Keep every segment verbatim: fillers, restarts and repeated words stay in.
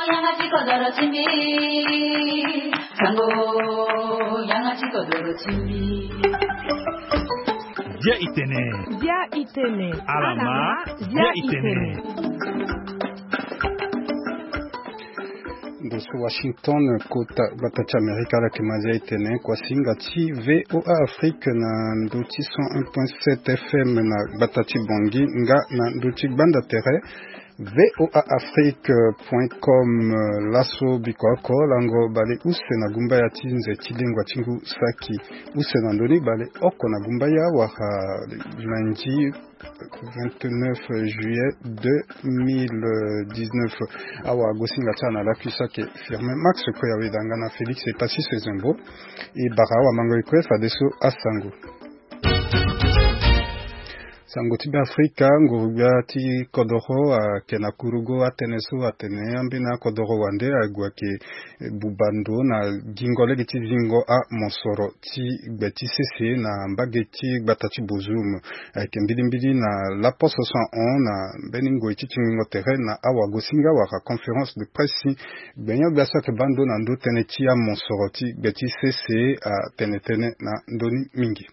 Yanga ti kodoro ti mbi. Sango, yanga ti kodoro ti mbi. Dia itene. Dia itene. Alama, dia itene. Ndo so Washington, kota gbata ti Amerika, ala yeke ma dia itene. Kuasinga ti V O A Afrique na ndo ti cent un point sept F M na gbata ti Bangui, nga na ndo ti gbanda tere. V O A Afrique point com, eh, laso biko oko lango bale use na gumbaya ti nze ti lengua ti ngu saki. Use na ndoni bale oko na gumbaya wala lundi vingt-neuf juillet deux mille dix-neuf. Awa gosinga ti ala na lakui saki Firmin Max Koyaweda nga na Félix Etasis Ezembo. E bara awa mango e kue fadeso asango. Sango ti Beafrika, nguru-gbia ti kodoro ayeke na kurugo atënë so atene ambeni akodoro wande ague ayeke buba ndo na gingo lege ti zingo amosoro ti gbe ti sese na mbage ti gbata ti Bozoum. Ayeke mbilimbili na laposo so ahon na mbeni ngoi ti tingbingo tere na awagosinga wala conférence de presse si gbenyo-gbia so ayeke baa ndo na ndo tënë ti amosoro ti gbe ti sese atene tënë na ndö ni mingi.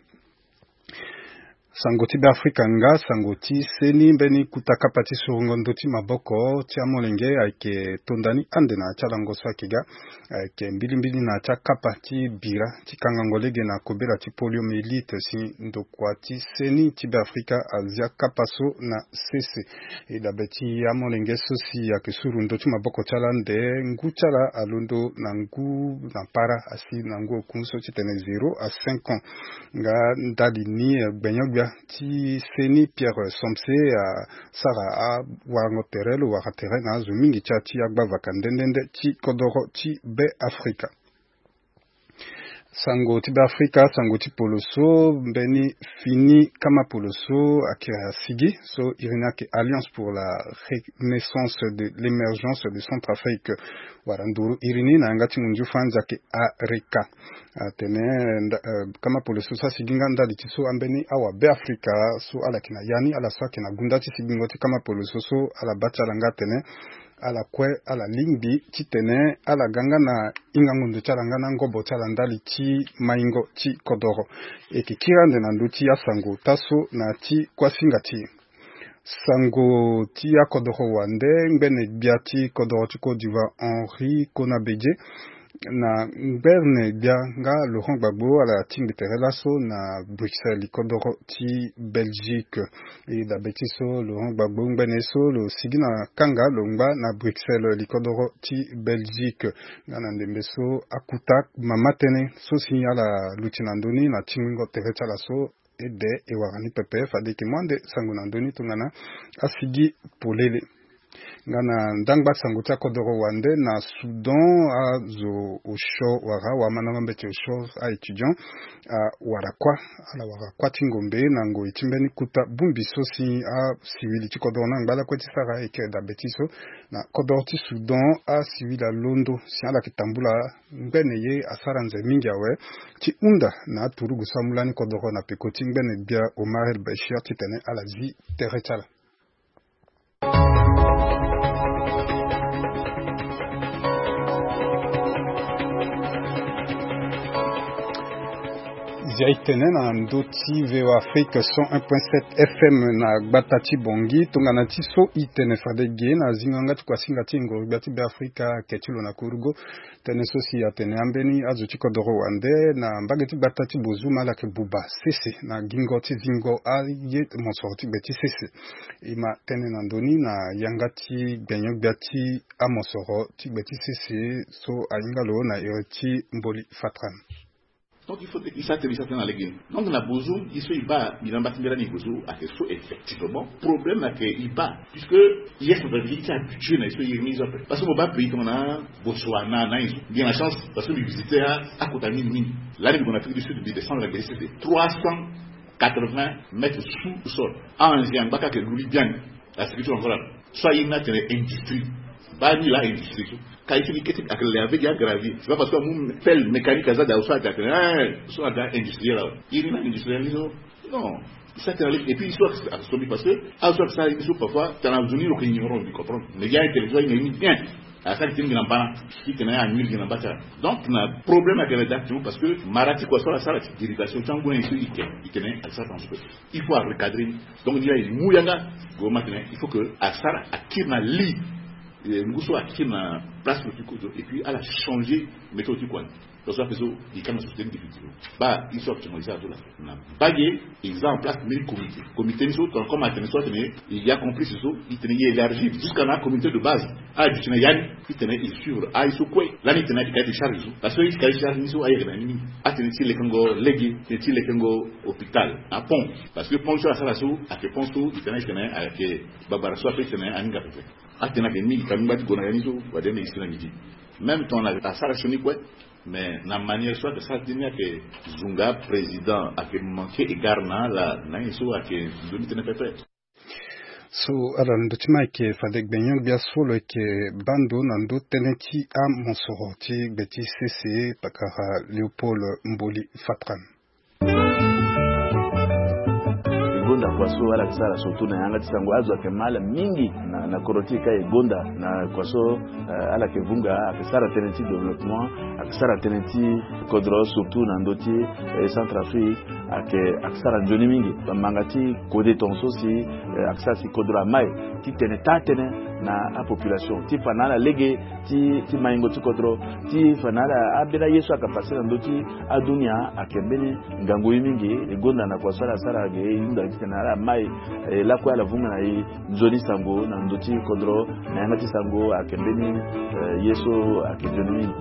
Sango ti Beafrika nga sango ti seni mbeni kuta kapa ti surongo ndo ti maboko ti amolenge ayeke tonda ni ande na ya ti alango so ayeke ga. Ayeke mbilimbili na ya ti akapa ti bira ti kangango lege na kobela ti poliomyélite si ndokua ti seni ti Beafrika azia kapa so na sese. E dabe ti amolenge so si ayeke suru ndo ti maboko ti ala ande ngu ti ala alondo na ngu na para asi na ngu oku so ti tene zéro à cinq ans. Nga ndali ni, eh, gbenyo-gbia ti seni Pierre Somse asara awarango tere lo wara tere na azo mingi ti ya ti agbavaka nde nde nde ti kodoro ti Beafrika. Sango ti Beafrika, sango ti poloso, mbeni fini kama poloso ayeke asigi so iri ni ayeke Alliance pour la Renaissance de l'Émergence de Centrafrique, wala nduru iri ni na yanga ti munzu franzi ayeke ARECA. Atene nda- eh, kama poloso so asigi nga ndali ti so ambeni awabeafrika so ala yeke na ya ni, ala so ayeke na gunda ti sigingo ti kama poloso so ala baa ti ala nga atene ala kue ala lingbi titene ala ga nga na hingango ndo ti ala nga na ngobo ti ala ndali ti maingo ti kodoro. E yeke kiri ande na ndö ti asango ota so na ya ti kuasinga ti e. Sango ti akodoro wande, ngbene gbia ti kodoro ti Côte d'Ivoire Henri Konan Bédié na ngbene gbia nga Laurent Gbagbo ala tingbi tere laso na Bruxelles, likodoro ti Belgique. E dabe ti so Laurent Gbagbo ngbene so lo sigi na kanga lo ngba na Bruxelles, likodoro ti Belgique. Nga na ndembe so akuta mama tënë so si ala luti na ndö ni na tingbingo tere ti ala so ede e wara ni pepe, fade e yeke mu ande sango na ndö ni tongana asigi polele. Nga na ndangba sango ti akodoro wande na Soudan, azo osio wala awamandango mbeti osio, a-étudiant, awara kuâ. Ala wara kuâ ti ngombe na ngoi ti mbeni kuta bongbi so si asiwili ti kodoro ni angba lakue ti sara. E yeke dabe ti so na kodoro ti Soudan asiwili alondo si ala yeke tambula ngbene ye asara nze mingi awe ti hunda na aturugu so amu lani kodoro na peko ti ngbene gbia Omar El Béchir titene ala zi tere ti ala. Zia e tene na ndö ti V O A Afrique cent un point sept F M na gbata ti Bangui. Tongana ti so e tene fade ge na zingo yanga ti kuasinga ti ngoro-gbia ti Beafrika ayeke ti lo na kurugo. Tënë so si atene ambeni azo ti kodoro wande na mbage ti gbata ti Bozoum ala yeke buba sese na gingo ti zingo aye mosoro ti gbe ti sese. E ma tënë na ndö ni na yanga ti gbenyo-gbia ti amosoro ti gbe ti sese so ahinga lo na iri ti Mboli Fatran. Donc il faut que i sara tënë, i sara tënë na lege ni. Donc na Bozoum, i so i baa, i na mba ti mbela ni Bozoum ayeke so effectivement problème ayeke i baa. Puisque i responsabilité ti habitué na i so i iri ni i zo ape. Parce que mo baa pays tongana Botswana na i zo. Mbi na chance parce que mbi visité akota mingi mingi. Lani mbi gue na Afrique du Sud, mbi descendre na gbe ti sese trois cent quatre-vingts mètres sous sol. Ange angba ka ayeke lu li biani. Asigi ti lo encore ala so aye ni atene industrie. Baa ni laa industrie so. Ka ye ti li kete ayeke le avec ya gravier. C'est pas parce que amu pelle mécanique aza daa so ade atene, eh, so ada industriel awe. Ye ni na industriel ni so. Non. Ça, c'est la et puis, histoire, c'est assommé parce que, ah, ça, ça, il faut parfois, t'as la zone, il faut ignorant, il comprend. Mais il y a un territoire, il y a une bien. Asara ti mingi na mbana, ti tene anul gi na mbata. Donc na problème ayeke na directement parce que mara ti kua so ala sara ti dérivation ti angu na ye so e ke, e tene asara transfert. Il faut arecadrer ni. Donc ni la e mu yanga. Gouvernement atene il faut que asara akiri na li, eh, ngu so akiri na place lo ti kozo et puis ala changer méthode ti kua ni. Parce que ape so e ka na société ni définitivement. Baa e so actuellement e sara so la na mbage, e za en place mbeni comité. Comité ni so tongana comme atene so atene e ya complice so, e tene e élargir jusqu'à na comité de base. Ala duti na ya ni, e tene e suivre aye so kue. Lani e tene ayeke cahier de charge so. Parce que e cahier de charge ni so ayeke na ni mingi. Atene ti lekengo lege, tene ti lekengo hôpital na pont. Parce que pont so asara so ayeke pont so e tene ayeke na ayeke babara so ape e tene aninga pepe. Atene ayeke mingi ka ngba ti gue na ya ni so wade na e si na midi. Même temps na asara sioni kue. Mais na manière so ayeke sara ti ni ayeke zunga président ayeke manquer égard na ala na ye so ayeke nzoni tënë pepe. So ala ndo ti ma ayeke fade gbenyo-gbia so lo yeke baa ndo na ndo tënë ti amosoro ti gbe ti sese pakara Léopold Mboli Fatran. E gonda kua so ala yeke sara surtout na yanga ti sango azo ayeke ma ala mingi na, na kodro ti e ka e gonda na kua so, eh, ala yeke vunga ayeke sara tënë ti développement, ayeke sara tënë ti kodro surtout na ndö ti, eh, Centrafrique ayeke, ayeke sara nzoni mingi. Bamanga ti kode tongaso si, eh, ayeke sara si kodro ama e ti tene taa tënë na apopulation ti fa na ala lege ti, ti maingo ti kodro ti fa na ala ambeni aye so ayeke passe na ndö ti adunia ayeke mbeni ngangu ye mingi. E gonda na kua so ala sara ge e hunda titene ala ma e, eh, lakue ala vunga na e nzoni sango na ndö ti kodro na yanga ti sango ayeke mbeni, eh, ye so ayeke nzoni mingi.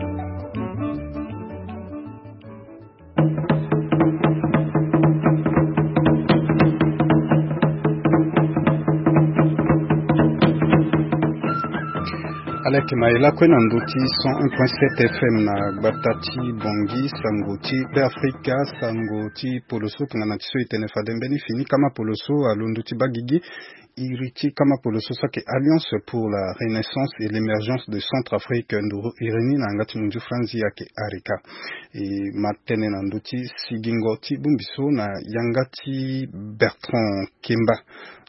Ala yeke ma e lakue na ndö ti cent un point sept F M na gbata ti Bangui, sango ti Beafrika, sango ti poloso tongana ti so e tene fade mbeni fini kama poloso alondo ti baa gigi. Iri ti kama poloso so ayeke Alliance pour la Renaissance et l'Emergence de Centrafrique, nduru iri ni na yanga ti munzu franzi ayeke ARECA. E ma tënë na ndö ti sigingo ti bongbi so na yanga ti Bertrand Kemba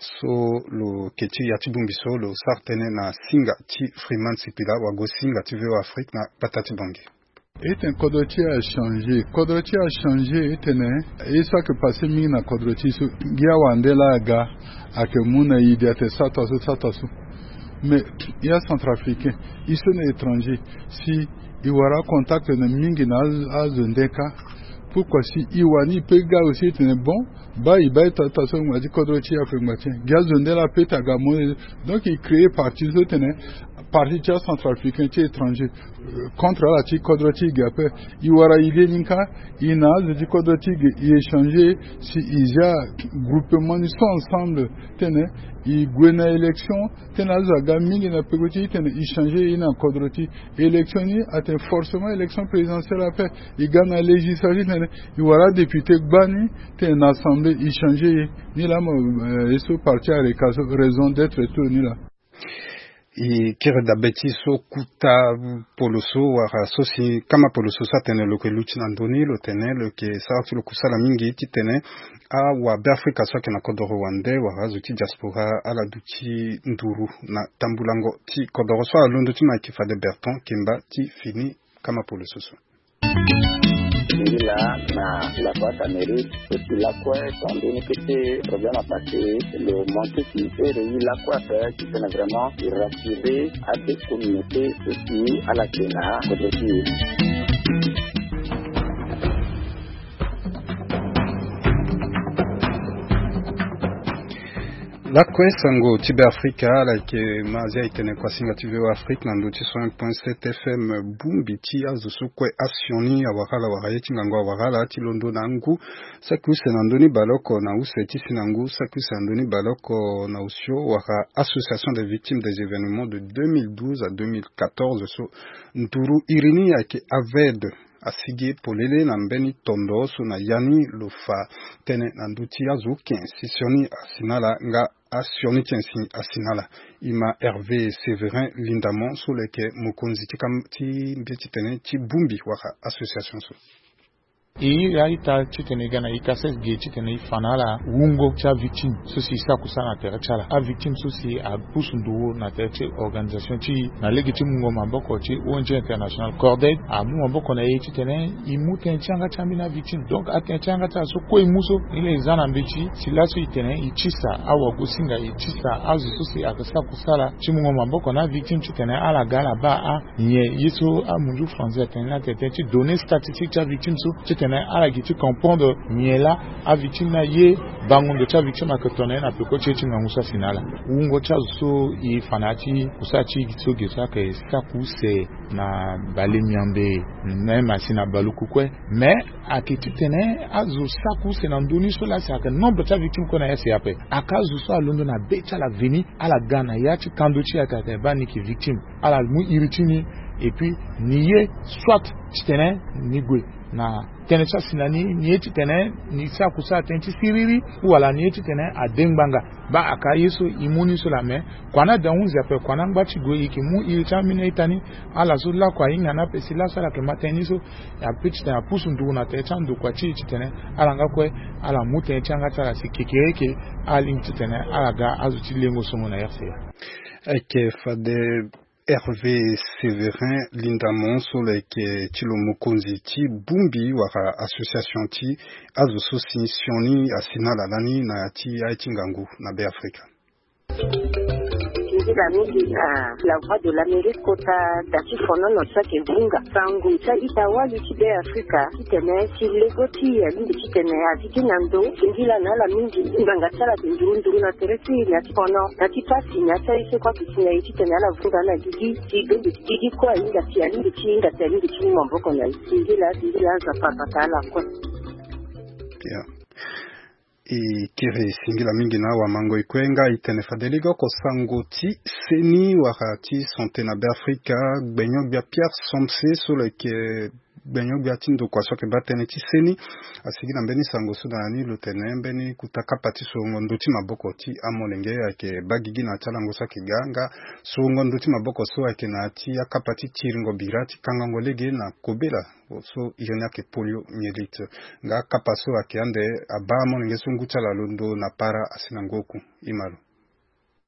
so lo yeke ti ya ti bongbi so lo sara tënë na singa ti Freeman Sipila wago singa ti V O A Afrique na gbata ti Bangui. E tene kodro ti e achangé, kodro ti e achangé, e tene e so ayeke passé mingi na kodro ti e so, ngia wande laa aga ayeke mu na e ide atene sara taa so, sara taa so. Mais e acentrafricain, e so na étranger, si e wara acontact na mingi na azo, azo nde kâ, pourquoi si e wani e peut ga aussi e tene bon, baa e baa e taa taa so ngba ti kodro ti e ape ngba ti e, gi azo nde laa peut aga mo. Donc e créé parti so tene parti ti acentrafricain ti étranger, euh, contre ala ti kodro ti e ge ape. E wara e leni kâ, e na azo ti kodro ti e ge e échanger si e zia groupement ni so ensemble tene e gue na élection, tene azo aga mingi na peko ti e tene e changer e na kodro ti e. Élection ni atene forcément élection présidentielle ape. E ga na législative tene e wara adéputé gbani tene na assemblée e changer e. Ni laa mo, euh, e so parti ARECA so raison d'être ti lo ni laa. E kiri dabe ti so kuta poloso wala so si kama poloso so atene lo yeke luti na ndö ni, lo tene lo yeke sara ti lo kusala mingi titene awabeafrika so ayeke na kodoro wande wala azo ti diaspora ala duti nduru na tambulango ti kodoro so. Alondo ti ma ayeke fade Bertrand Kemba ti fini kama poloso so. Nzila na la voie Cameroun, et puis lakue tongana ni kete problème apassé, lo manqué ti ere ye lakue ape titene vraiment e rassurer ade communauté so si ala yeke na kodro ti e. Lakue sango ti Beafrika ala yeke ma azia e tene kua singa ti V O A Afrique na ndö ti cent un point sept F M. Bongbi ti azo so kue asioni awara ala wala ye ti ngangu awara ala ti londo na angu saki use na ndö ni baleoko na use ti si na ngu saki use na ndö ni baleoko na osio wala association des victimes des événements de deux mille douze à deux mille quatorze so nduru iri ni ayeke AVED asigi polele na mbeni tondo so na ya ni lo fa tënë na ndö ti azo oke si sioni asi na ala nga asioni ti asi na ala. E ma Hervé Séverin Lindamon so lo yeke mokonzi ti kam ti mbi ti tene ti bongbi wala association so. E iri a-ita titene e ga na e kases ge titene e fa na ala wungo ti avictime so si e sara kusala na tere ti ala, avictime so si apusu nduru na tere ti organisation ti e na lege ti mungo maboko ti O N G international Cordaid amu maboko na e titene e mu tënë ti yanga ti ambeni avictime. Donc atënë ti yanga ti ala so kue e mu so, ni laa e za na mbeti si laso e tene e tisa awagosinga, e tisa azo so si ayeke sara kusala ti mungo maboko na avictime titene ala ga ala baa a nyen ye so amunzu français atene ni atene tënë ti données statistiques ti avictime so titene ala gi ti comprendre nyen laa avictime ni aye, bango ndo ti avictime ayeke to na ye na peko ti ye ti ngangu so asi na ala. Wungo ti azo so e fa na ya ti kusala ti e so ge so ayeke sara kuse na bale miambe, même asi na baluku kue. Mais ayeke titene azo sara kuse na ndö ni so laa si ayeke nombre ti avictime kue na ya si ape. Ayeke azo so alondo na be ti ala veni, ala ga na ya ti kando ti e ayeke ayeke baa ni yeke victime, ala mu iri ti ni. Et puis ni ye soit titene ni gue na tënë ti asi na ni, ni ye titene ni sara kusala tënë ti siriri, ou wala ni ye titene ade ngbanga. Baa ayeke aye so e mu ni so laa, mais kua ni ade ahunzi ape, kua ni angba ti gue, e yeke mu iri ti ambeni a-ita ni. Ala so lakue ahinga ni ape si laso ala yeke ma tënë ni so, ape titene apusu nduru na tere ti andokua ti e titene ala nga kue ala mu tënë ti yanga ti ala si kekereke ala lingbi titene ala ga azo ti lengo songo na R C A. Ayeke fade Hervé Séverin Lindamon so lo yeke ti lo mokonzi ti bongbi wala association ti azo so si sioni asi na ala lani na ya ti aye ti ngangu na Beafrika. Nzila mingi na La Voix de l'Amérique kota da ti fonono so ayeke vunga sango ti a-ita wali ti Beafrika titene si lego ti e alingbi titene azi gi na ndo. Singila na ala mingi, ngbanga ti ala ayeke nduru nduru na tere ti e na ya ti fono, na ya ti pasi, na ya ti aye so kue ayeke si na e titene ala vunga na gigi. Si bembe ti gigi kue ahinga si alingbi ti hinga si alingbi ti mu maboko na e. Singila, singila, Nzapa abata ala kue. Ya. E kiri singila mingi na awamangoi kue. Nga e tene fade lege oko sango ti seni wala ti santé na Beafrika, gbenyo-gbia Pierre Somse so lo yeke gbenyo-gbia ti ndokua so ayeke baa tënë ti seni, asigi na mbeni sango so na ni lo tene mbeni kota kapa ti sorongo ndö ti maboko ti amolenge ayeke baa gigi na ya ti alango so ayeke ga. Nga sorongo ndö ti maboko so ayeke na ya ti akapa ti tiringo bira ti kangango lege na kobela so iri ni ayeke poliomyélite. Nga akapa so ayeke ande abaa amolenge so ngu ti ala alondo na para asi na ngu oku. Ima lo.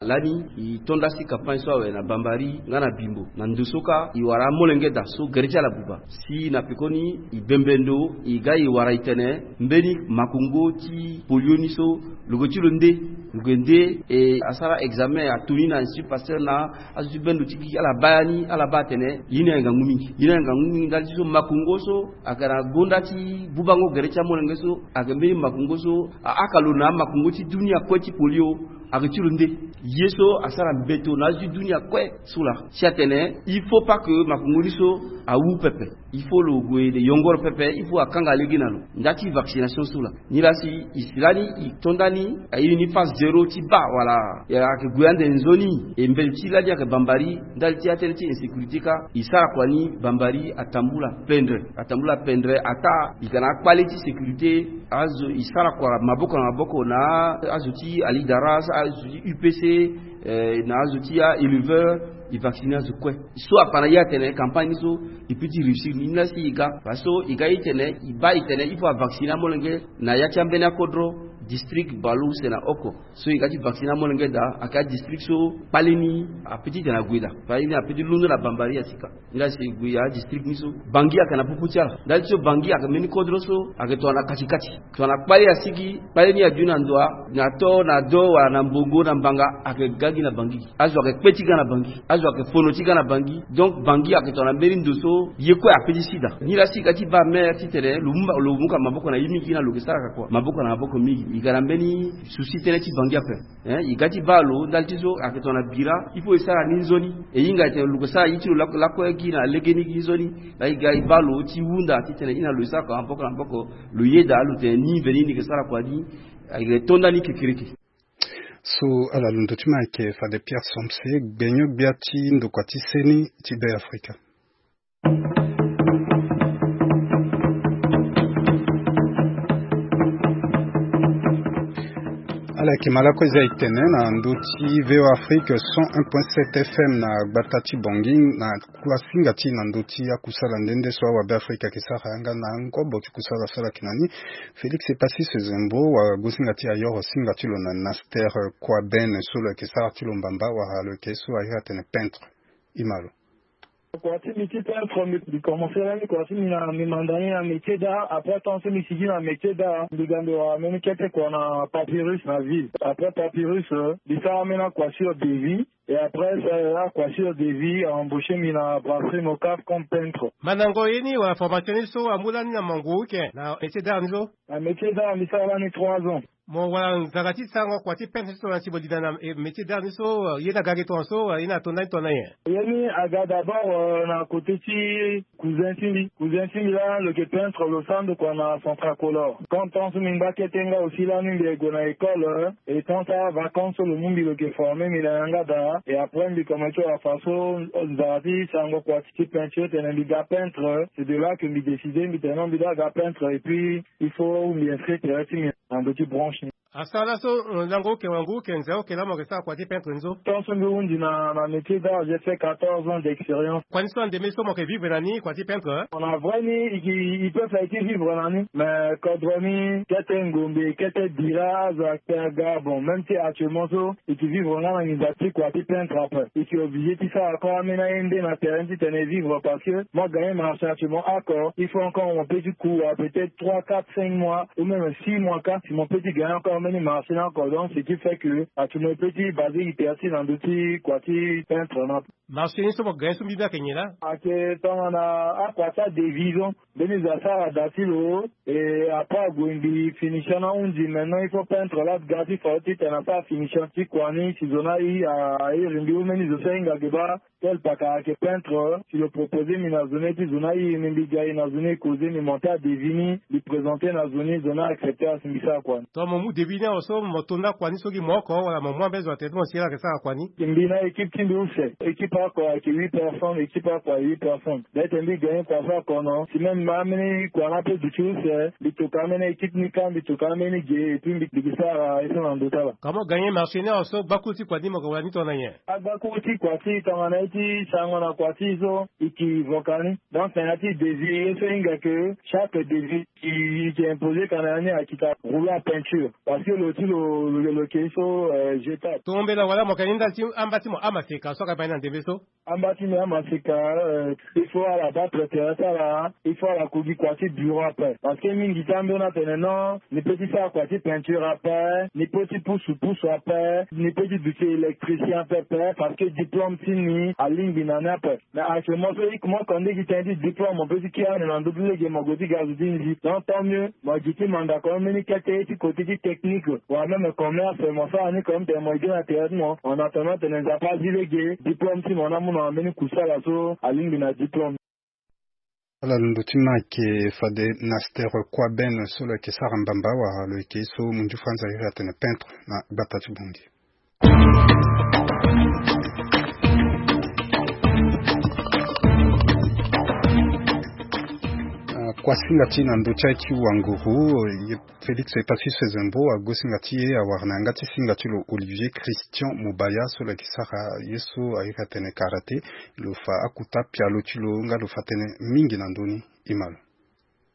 Lani e to nda si campagne so awe na Bambari nga na Bimbo. Na ndo so kâ e wara amolenge daa so gere ti ala buba. Si na pekoni e bembe ndo e ga e wara e tene mbeni makongo ti polio ni so lo yeke ti lo nde. Lo yeke nde e asara examen atoni na Institut Pasteur na azo ti bendo ti gigi ala baa ya ni, ala baa atene ye ni ayeke ngangu mingi. Ye ni ayeke ngangu mingi ndali ti so makongo so ayeke na gonda ti bubango gere ti amolenge so ayeke mbeni makongo so ahaka lo na amakongo ti dunia kue ti polio. Ayeke ti lo nde ye so asara mbeto na azo ti dunia kue so laa. Si atene il faut pas que makongo ni so awu pepe. Il faut lo gue de yongoro pepe, il faut akanga lege na lo. Nda ti vaccination so laa. Nilaa si e si lani e to nda ni airi ni phase zéro ti baa wala e ayeke gue ande nzoni. E mbeti ti lani ayeke Bambari ndali ti atënë ti insécurité kâ e sara kua ni Bambari atambula pendre. Atambula pendre ataa e ga na akpale ti sécurité. Azo e sara kua maboko na maboko na azo ti Alidara, azo ti U P C, eh, na azo ti a-éleveur, e vacciner azo kue. So afa na ye atene campagne ni so e peut ti réussir ni. Nilaa si e ga, parce que e ga e tene e baa e tene il faut avacciner amolenge na ya ti ambeni akodro, district, bale use na oko. So e ga ti vacciner amolenge daa, ayeke adistrict so kpale ni apeut ti tene ague daa. Kpale ni apeut ti londo na Bambari asika. Nilaa si e gue adistrict ni so Bangui ayeke na popo ti ala. Ndali ti so Bangui ayeke mbeni kodro so ayeke tongana kati kati. Tongana kpale asigi, kpale ni adu na ndoa, na to, na do, wala na mbongo, na mbanga, ayeke ga gi na Bangui. Azo ayeke kpe ti ga na Bangui. Azo ayeke fono ti ga na Bangui. Donc Bangui ayeke tongana mbeni ndo so ye kue apeut ti si daa. Nilaa si e ga ti baa maire titene lo mu, lo mu ka maboko na ye mingi, na lo yeke sara ka kua maboko na maboko mingi. E ga na mbeni souci tënë ti Bangui ape. Hein, e ga ti baa lo ndali ti so ayeke tongana bira, il faut e sara ni nzoni. E hinga e tene lo yeke sara ye ti lo lakue, lakue gi na legeni gi nzoni. Laa e ga e baa lo ti hunda titene e na lo e sara kua maboko na maboko. Lo yeda lo tene ni veni ni yeke sara kua ni. Ayeke to nda ni kekereke. So ala londo ti ma ayeke fade Pierre Somse, gbenyo-gbia ti ndokua ti seni ti Beafrika. Ala yeke ma lakue eza etene na ndö ti V O Afrique cent un point sept F M na gbata ti Bangui na kuasinga ti na ndö ti akusala nde nde so awabe Afrique ayeke sara yanga na ngobo ti kusala so ala yeke na ni. Félix Epasis Zembo wa gosinga ti ayoro singa ti lo na Naster Kouaben so lo yeke sara ti lo mbamba wala lo yeke so ahiri atene peintre. Imalo. Kua ti mbi ti peintre, mbi commencé lani kua ti mbi na mbi manda ni na métier d'art. Après temps so mbi sigi na métier d'art, mbi ga mbi wara mbeni kete kua na Papyrus na ville. Après Papyrus, euh, mbi sara mbeni akua sur devis. Et après ça, akua sur devis a embauché mbi na brasserie Mocaf comme peintre. Mandango ye ni wala formation ni so amu lani na mangu ike na métier d'art ni so? Na métier d'art mbi sara lani trois ans. Mo wala nzaka ti sarango kua ti peintre ni so na si mo linda na, eh, métier d'art ni so, eh, ye ni aga ge tongana so, eh, ye ni ato ndani tongana nyen? Ye ni aga d'abord, euh, na côté ti cousin ti mbi. Cousin ti mbi laa lo yeke peintre, lo sara ndo kua na Centracolor. Comme temps so mbi ngba kete nga aussi lani mbi gue na école, euh, et temps ti avacance so lo mu mbi lo yeke former mbi na yanga daa. Et après mbi commencé wara façon, euh, nzara ti sarango kua ti peinture titene mbi ga peintre. C'est de là que mbi décidé mbi tene non mbi doit ga peintre et puis il faut mbi inscrire tere ti mbi na ndo ti branche ni. Asara laso, eh, lango oke wangu oke nze oke laa mo yeke sara kua ti peintre ni so? Tant so mbi hundi na, na métier d'art, j'ai fait quatorze ans d'expérience. Kua ni so andeme so mo yeke vivre na ni kua ti peintre, eh? Na vrai ni, i, i, i peut faire ti vivre na ni. Mais kodro ni, kete ngombe, kete dira, azo akpe aga. Bon, même si actuellement so, i ke vivre nga na nginza ti kua ti peintre ape. I ke obligé ti sara encore ambeni aye nde na terrain titene i vivre parce que mo gagner marché actuellement oko, il faut encore mo peut ti kua peut-être trois, quatre, cinq mois ou même six mois kâ si mo peut ti gagner encore ambeni marché ni oko. Donc, ce qui fait que actuellement i peut ti basé i terrain ti na ndö ti kua ti peintre ni ape. Marché ni so mo gagner so mbi mbi ayeke nyen laa? Ayeke tongana akua ti adevis so. Mbeni zo asara da ti lo, et après ague mbi finition ni ahundi, maintenant il faut peintre laa ga ti fa titene asara finition ti kua ni si zo ni ahi, a, a iri mbi ou mbeni zo so ahinga ge baa. Tel paka ayeke peintre, si lo proposé mbi na zo ni, et puis zo ni airi ni, mbi ga e na zo ni, e causé, mbi monté adevis ni, mbi présenté na zo ni, zo ni a accepté asi mbi sara kua ni. Donc mo mu devis ni awe so mo to nda kua ni so gi mo oko wala mo mu ambeni zo na tere ti mo si ala yeke sara kua ni? Mbi na équipe ti mbi use, équipe oko ayeke huit personnes, équipe oko ayeke huit personnes. Peut-être mbi gagné kua so akono, si même ambeni kua ni ape duti use, mbi toka ambeni équipe ni kâ, mbi toka ambeni ge, et puis mbi, mbi ke sara ye so na ndö ti ala. Kua mo gagné marché ni awe so gbakuru ti kua ni mo yeke wara ni tongana nyen? Agbakuru ti kua ti tongana ye ti sarango na kua ti so, i ke voka ni. Donc tena ti devis ye so hinga que chaque devis i, i ke imposé ka na ya ni akita rouleau à peinture. Parce que lo ti lo, lo, lo ke so, euh, jetable. Tombela wala mo yeke ni ndali ti amba ti mo amaseka so aga bani na ndembe so? Amba ti mbi amaseka, euh, il faut ala battre terrain ti ala, il faut ala ku gi kua ti bureau ape. Parce que mingi ti ambeni atene non, ni peut ti sara kua ti peinture ape, ni peut ti pusu pusu ape, ni peut ti duti électricien ape ape, parce que diplôme ti ni alingbi na ni ape. Mais actuellement so i komanse kua nde gi tënë ti diplôme, mo peut ti kiri ande na ndö ti lege mo gue ti ga zo ti nzi. Donc tant mieux, mo gi ti mandako mbeni kete ti côté ti technique wala même commerce, mo sara ni comme tene mo ye gi na tere ti mo. En attendant tene Nzapa azi lege diplôme ti mo ni amu na mbeni kusala so alingbi na diplôme. Ala londo ti ma ayeke fade Naster Kouaben so lo yeke sara mbamba wala lo yeke so munju Franza iri atene peintre na gbata ti Bangui. Ah, kuasinga ti na ndö ti aye ti wanguru, ye Félix Epaphras Zembo agosinga ti ye awara na yanga ti singa ti lo Olivier Christian Mobaya so lo yeke sara ye so airi atene karaté. Lo fa akota pialo ti lo nga lo fa tënë mingi na ndö ni. Imalo.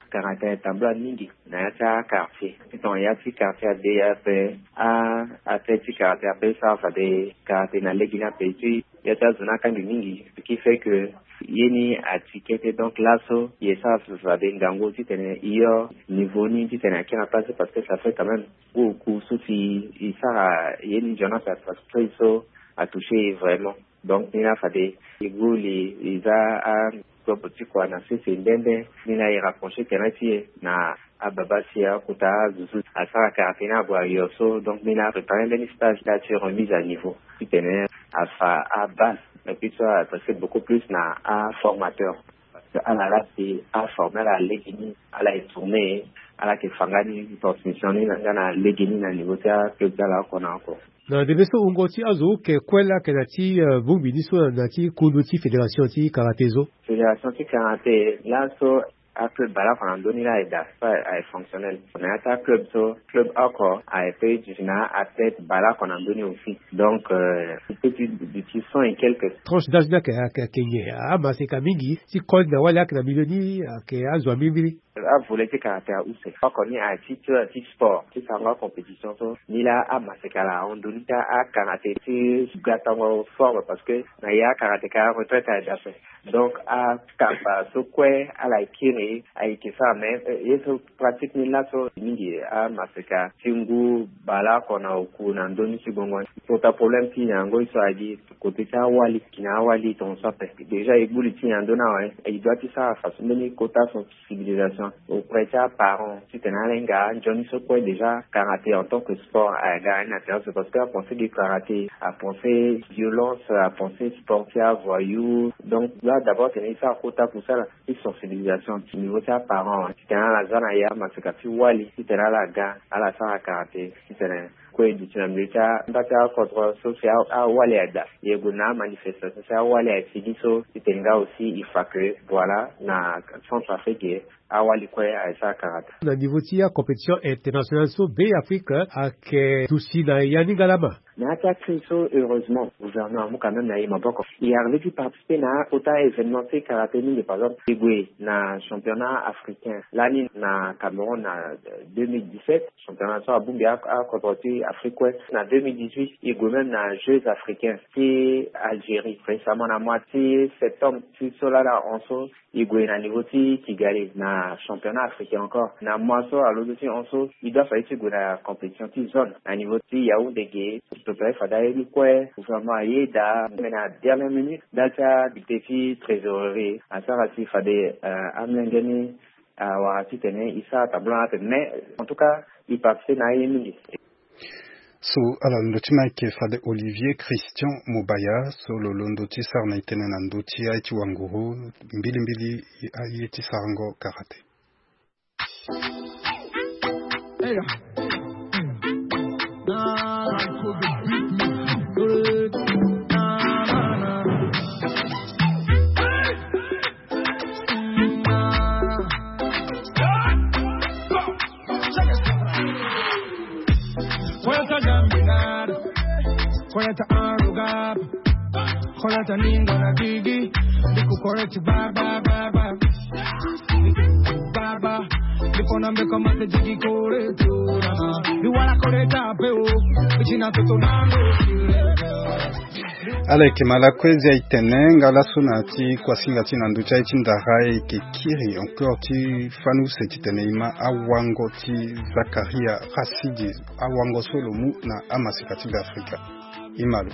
Karaté atambula mingi na ya ti akartier. Tongana ya ti kartier ade ape, a, ape ti karaté ape sara fade karaté na lege ni ape ti ya ti azo ni akangi mingi, ce qui fait que ye ni ati kete. Donc laso ye sara fade ngangu titene e yo niveau ni titene akiri na place, parce que ça fait quand même beaucoup so si e sara ye ni nzoni ape, parce que so atouché ye vraiment. Donc ni la fade e gue li e za a Kopo ti kua na sese nde nde, ni la e rapprocher tënë ti e na ababa si akota azo so asara karaté ni ague ayo so. Donc ni la apréparer mbeni stage la ti remise à niveau titene afa abase, mais puis so a adresser beaucoup plus na aformateur. Parce que ala la si aformer ala lege ni, ala e tourner, ala yeke fa nga ni transmission ni nga na lege ni na niveau ti aclub ti ala oko na oko. Na ndembe so wungo ti azo oke kue laa ayeke na ti, eh, bongbi ni so na ti kundu ti fédération ti karaté so. Fédération ti karaté laso Aclub baleoko na ndö ni laa aye daa so aye fonctionnel na ya ti aclub so. Club oko aye pe duti na athlète baleoko na ndö ni aussi. Donc euh, il peut ti duti cent et quelques. Tranche d'âge ni ayeke ayeke nyen? Amaseka mingi ti koli na wali ayeke na milieu ni ayeke azo ya mbirimbiri. Avolet ti karaté ahuse oko ni aye ti ti sport ti sarango acompétition so. Ni laa amaseka ala ahon ndö ni ti akaraté ti gatango forme parce que na ya akaraté ka retraite aye daa ape. Donc akamba so kue ala kiri ayeke sara mais ye so pratique ni laso mingi amaseka ti ngu baleoko na oku na ndö ni ti gbongo ni. Kota problème ti nyango ye so agi côté ti awali ki na awali tongaso ape. Déjà e gbu li ti nyen na ndö ni awe? E doit ti sara façon mbeni kota sensibilisation auprès ti aparent titene ala hinga anzoni so kue déjà karaté en tant que sport aga ni na tere so parce que apensé de karaté apensé violence apensé sport ti avoyou. Donc là d'abord tene e sara kota pour sara ti sensibilisation niveau ti aparent titene ala za na ya maseka ti wali titene ala ga ala sara karaté titene kue e duti na milieu ti anda ti akodro so si awali aye daa. E gue na amanifestation si awali aye sigi so titene nga aussi e fa que voilà na Centrafrique awali kue aye sara karaté. Na niveau ti acompétition internationale so Beafrika ayeke duti na ya ni nga lama. Na ya ti akri so heureusement gouvernement amu quand même na e maboko. E arrivé ti participer na akota événement ti karaté mingi par exemple e gue na championnat africain lani na Cameroun na deux mille dix-sept. Championnat so abongbi akodro ti Afrique kue. Na deux mille dix-huit e gue même na jeux africains ti Algérie récemment na mois ti septembre ti so laa na hon so. E gue na niveau ti Kigali na championnat africain encore na mois so alondo ti hon so. E doit fade ti gue na compétition ti zone na niveau ti Yaoundé ge. Topere fade aye ni kue gouvernement aye daa mais na dernière minute ndali ti adéputé ti trésorerie asara si fade amolenge ni awara titene e sara tableau na ape mais en tout cas e participer na aye mingi. So ala londo ti ma ayeke fade Olivier Christian Mobaya so lo londo ti sara na e tënë na ndö ti aye ti wanguru mbilimbili aye ti sarango karaté. Koyata jambidar, koyata arugab, koyata ningo na didi, diku koreti bar bar bar bar. Bar bar, diku na mbeko mate jigi koreti ora. Diwara koreta pe o, ichina toto nando. Ala yeke ma lakue zia e tene nga laso na ya ti kuasinga ti na ndö ti aye ti ndara e yeke kiri encore ti fani use titene e ma awango ti Zakaria Rasidi awango so lo mu na amaseka ti Beafrika. E ma lo.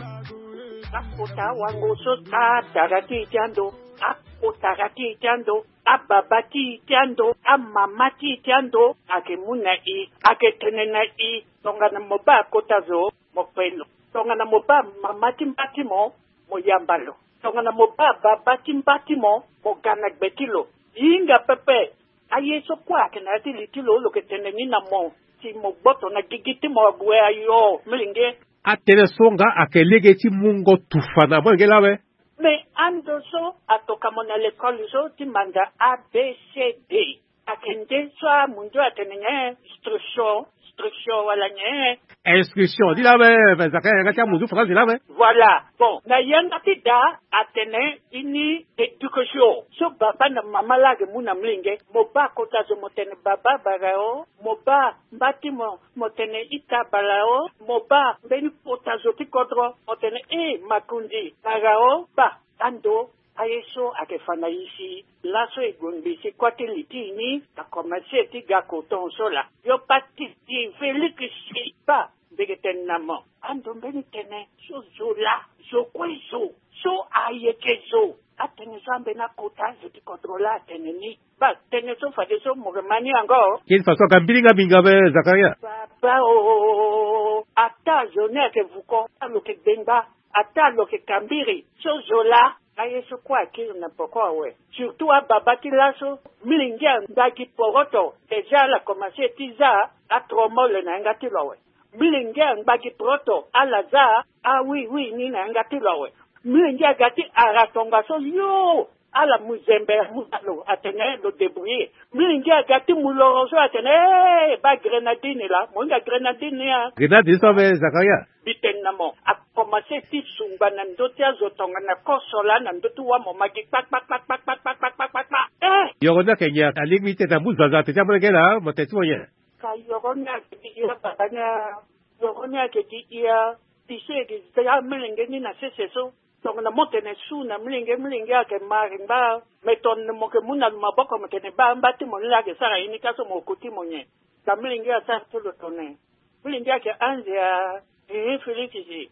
Akota awango so atara ti e ti ando, akotara ti e ti ando, ababa ti e ti ando, amama ti e ti ando ayeke mu na e, ayeke tene na e. Tongana mo baa akota zo mo kpe lo. Tongana mo baa mama ti mba ti mo, mo yamba lo. Tongana mo baa baba ti mba ti mo, mo ga na gbe ti lo. Hinga pepe. Aye so kue ayeke na ya ti li ti lo lo yeke tene ni na mo si mo gboto na gigi ti mo ague ayo molenge. Atënë so nga ayeke lege ti mungo tufa na molenge lawe. Me ando so atoka mo na lekole so ti manda A B C D. Ayeke nde so amundu atene nyen? Instruction, instruction wala nyen? Inscription ni lawe. Zaka yanga ti amundu faranzi lawe. Voilà. Bon, na yanga ti da atene ini éducation so baba na mama laa ayeke mu na molenge. Mo baa kota zo mo tene baba bara o, mo baa mba ti mo mo tene ita bara o, mo baa mbeni kota zo ti kodro mo tene e makundi bara o. Baa ando aye so ayeke fa na e si laso e gue ngbii si kua ti li ti e ni akomanse ti ga koton so laa. Yo pa ti di Félix si baa mbi yeke tene na mo ando mbeni tënë so zo laa zo kue zo so ayeke zo. Atënë so ambeni akota zo ti kodro laa atene ni. Baa tënë so fadeso mo yeke ma ni yango. Kini faso aga mbiringa mingi ape Zakaria. Baba o, ata zo ni ayeke vuko ata lo yeke gbengba. Ata lo yeke kambiri so zo laa. Aye so kue akiri na poko awe. Surtout ababa ti laso. Milingi angba gi poroto. Déjà ala komanse ti za atromole na yanga ti lo awe. Milingi angba gi poroto ala za awiwi ni na yanga ti lo awe. Milingi aga ti ara tongaso yo. Ala mu zembe, amu na lo, atene lo débrouiller. Mlenge aga ti mu loro so atene, eh, ba grenadine la, mo hinga grenadine ni a. Grenadine so ave, Zakaria? Mbi tene na mo, a commencé ti sungba na ndö ti azo tongana koso laa na ndö ti wa mo magi kpa, kpa, kpa. Eh! Yoro ni ayeke nyen? Alingbi ti tene amu zaza atene ti amolenge laa, mo tene ti mo nyen? Ka yoro ni ayeke gi hia baba ni a, yoro ni ayeke gi hia, ti so e gi za amolenge ni na sese so. Tongana mo tene su na mlenge, mlenge ayeke mari ngba, me tongana mo yeke mu na lo maboko mo tene ba, mba ti mo ni laa ayeke sara ye ni ka so mo ko ti mo nyen? Ka mlenge asara so lo tene. Mlenge ayeke anze a, eh, Félix.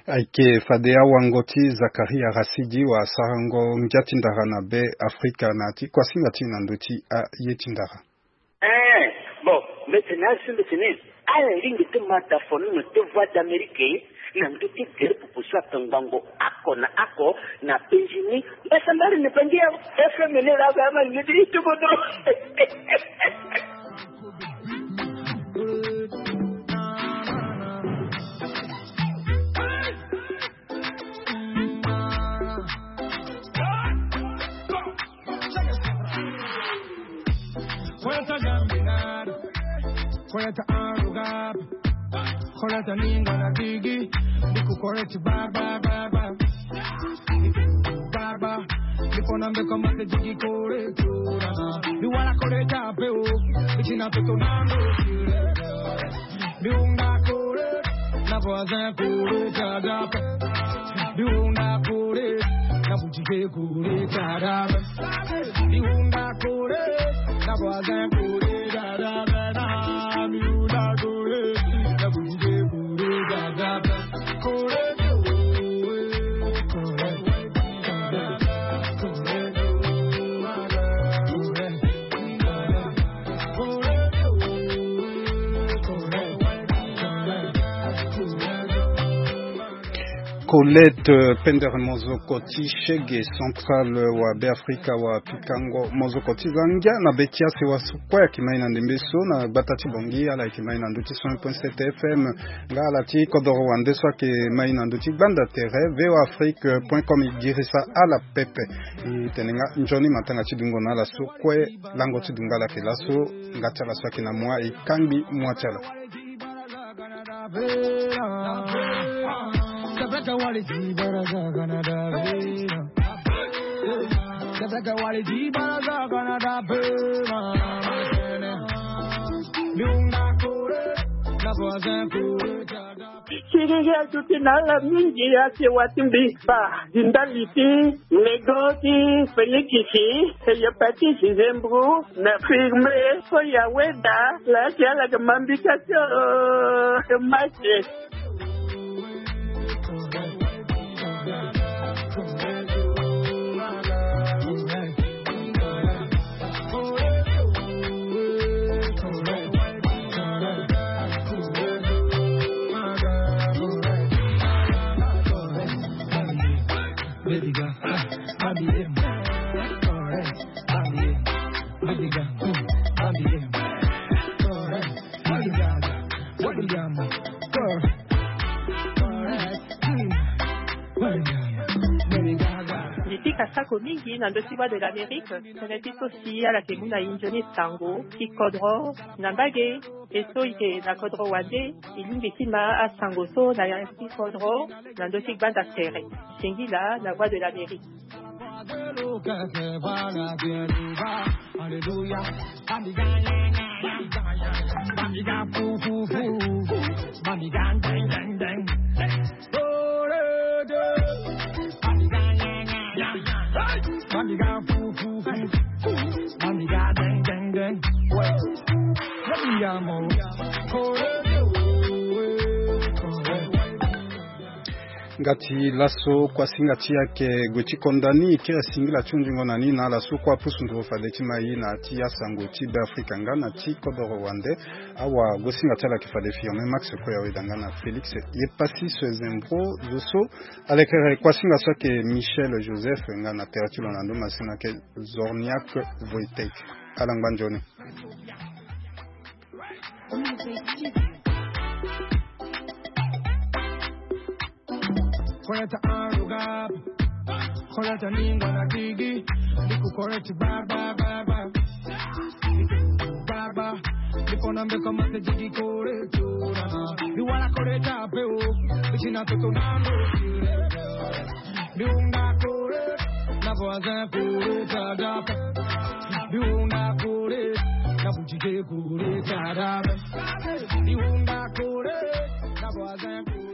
Ayeke fade awango ti Zakaria Rasidi wasarango ngia ti ndara na Be Afrika na ti kuasinga ti na ndö ti aye ti ndara. Eh, bon, mbi tene asi, mbi tene ala lingbi ti ma da fono na te Voix d'Amérique na ndö ti gere pupu so atongbango oko na oko na penzi ni. Mbasambari ni pangi ya F M ni la ga ma ni ti tuko do. Koleta arugab, koleta ninga na digi, biku koleti ba, ba, ba, ba. Ba, ba, biku na mbe komate digi kore, kore, na. Biwala koleta pe o, bitina pe to na mbe. Biunga kore, na voisin kore, dada pe. Biunga kore, na boutique kore, dada pe. Biunga kore, na voisin kore, dada pe. Na biunga kore, na boutique kore, dada pe. Kore, kore, kore, kore. Colette, euh, Pender, mozoko ti shege central, euh, wa Be Afrika, wa pikango mozoko ti za ngia na be ti asewa so kue ayeke mai na ndembe so na gbata ti Bangui, ala yeke mai na ndö ti cent un point sept F M. Nga ala ti kodoro wande so ayeke mai na ndö ti gbanda tere V O A Afrique point com e girisa ala pepe. E tene nga nzoni matanga ti dungo na ala so kue. Lango ti dungo ala yeke laso, nga ti ala so ayeke na moi e kangbi moi ti ala. Siriri aduti na ala mingi, asewa ti mbi ba, di ndali ti lego ti Félix, hépatite, zembro, na firme, so ya weda, la ti ala ke mambika so, eh, mache. Baby girl, baby, yeah. Alright, baby, yeah. Baby girl, baby, yeah. Alright, baby girl, baby, yeah. Alright, baby girl, baby, yeah. Ni ti kasako mingi na ndö ti Voix de l'Amérique, tënë ti so si ala yeke mu na e nzoni sango ti kodro na mbage. E so e yeke na kodro wande, e lingbi ti ma asango so na ya ti kodro na ndö ti gbanda tere. Singila na Voix de l'Amérique. Nga ti laso kuasinga ti ayeke gue ti konda ni, e kiri singila ti hunzingo na ni na ala so kue apusu nduru fade ti ma e na ya ti asango ti Be Afrika nga na ti kodoro wande. Awa, gosinga ti ala yeke fade Firmin Max, kue aweda nga na Félix Yepasi so ezembro zo so. Alekere kuasinga so ayeke Michel Joseph nga na tere ti lo na ndo masina ayeke Zorniak Wojtek. Ala ngba nzoni. Correct and English na Kiki. Liku correct, ba, ba, ba, ba. Ba, ba. Liku na mbe koma se jigi correct. Ni wala correct ape o. Bichi na toto na ndo. Ni unga correct. Na voisin correct, adapa. Ni unga correct. Na bujike correct, adapa. Ni unga correct. Na voisin correct.